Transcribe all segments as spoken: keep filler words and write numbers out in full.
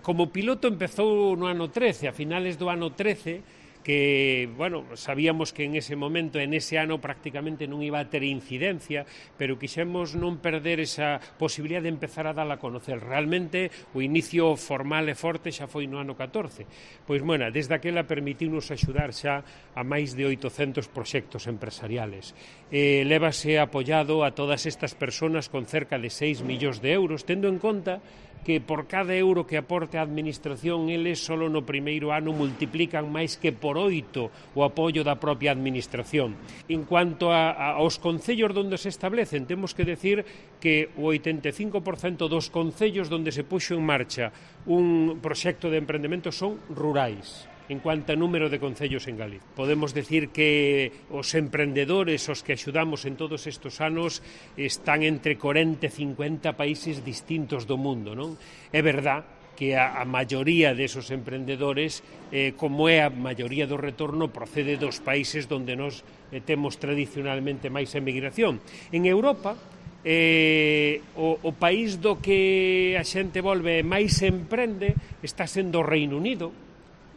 como piloto empezou no ano trece, a finales do ano trece, que, bueno, sabíamos que en ese momento, en ese ano, prácticamente non iba a ter incidencia, pero quixemos non perder esa posibilidad de empezar a dala a conocer. Realmente, o inicio formal e forte xa foi no ano catorce. Pois, bueno, desde aquela permitimos axudar xa a máis de oitocentos proxectos empresariales. Eh, lévase apoiado a todas estas persoas con cerca de seis millóns de euros, tendo en conta que por cada euro que aporte a administración, eles solo no primeiro ano multiplican máis que por oito o apoio da propia administración. En cuanto a, a, aos concellos onde se establecen, temos que decir que o oitenta e cinco por cento dos concellos onde se puxo en marcha un proxecto de emprendemento son rurais. En cuanto a número de concellos en Galicia. Podemos decir que os emprendedores os que axudamos en todos estes anos están entre corenta e cincuenta países distintos do mundo, non? É verdad que a, a maioría desos emprendedores, eh, como é a maioría do retorno, procede dos países onde nos eh, temos tradicionalmente máis emigración. En Europa, Eh, o, o país do que a xente volve máis emprende está sendo o Reino Unido.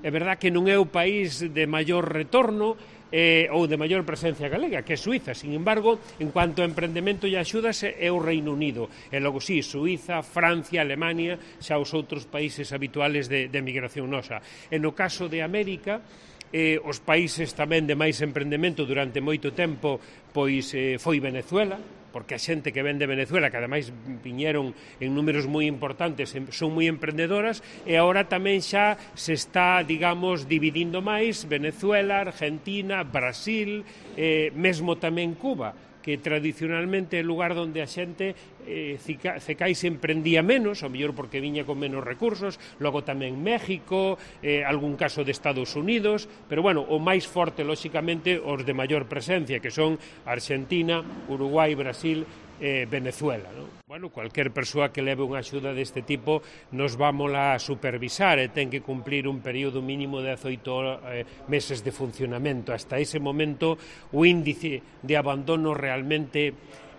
É verdad que non é o país de maior retorno eh, ou de maior presencia galega, que é Suiza. Sin embargo, en cuanto a emprendemento e axudas, é o Reino Unido. E logo sí, Suiza, Francia, Alemania, xa os outros países habituales de, de migración nosa. E no caso de América, eh, os países tamén de máis emprendemento durante moito tempo pois eh, foi Venezuela, porque a xente que ven de Venezuela, que ademais viñeron en números moi importantes, son moi emprendedoras, e agora tamén xa se está, digamos, dividindo máis Venezuela, Argentina, Brasil, eh, mesmo tamén Cuba, que tradicionalmente é o lugar onde a xente eh, cecais emprendía menos, ao mellor porque viña con menos recursos, logo tamén México, eh, algún caso de Estados Unidos, pero bueno, o máis forte, lóxicamente, os de maior presencia, que son Argentina, Uruguai, Brasil, eh, Venezuela, ¿no? Bueno, cualquier persoa que leve unha axuda deste tipo nos vámola a supervisar e ten que cumplir un período mínimo de dezoito eh, meses de funcionamento. Hasta ese momento o índice de abandono realmente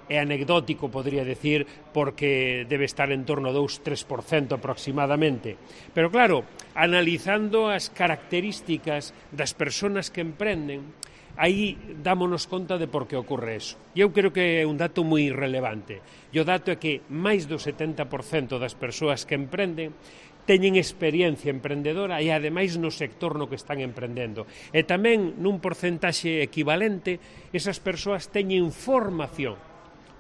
é anecdótico, podría decir, porque debe estar en torno a dous a tres por cento aproximadamente. Pero claro, analizando as características das persoas que emprenden, aí dámonos conta de por que ocorre eso. E eu creo que é un dato moi relevante. E o dato é que máis do setenta por cento das persoas que emprenden teñen experiencia emprendedora e ademais no sector no que están emprendendo. E tamén nun porcentaxe equivalente, esas persoas teñen formación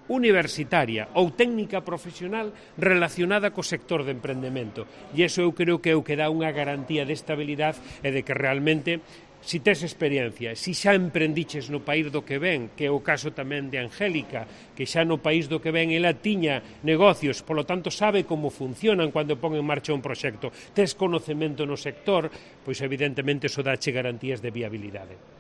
universitaria ou técnica profesional relacionada co sector de emprendemento. E iso eu creo que é o que dá unha garantía de estabilidade e de que realmente, si tes experiencia, si xa emprendiches no país do que ven, que é o caso tamén de Angélica, que xa no país do que ven ela tiña negocios, polo tanto sabe como funcionan cando pon en marcha un proxecto, tes conocemento no sector, pois evidentemente iso dache garantías de viabilidade.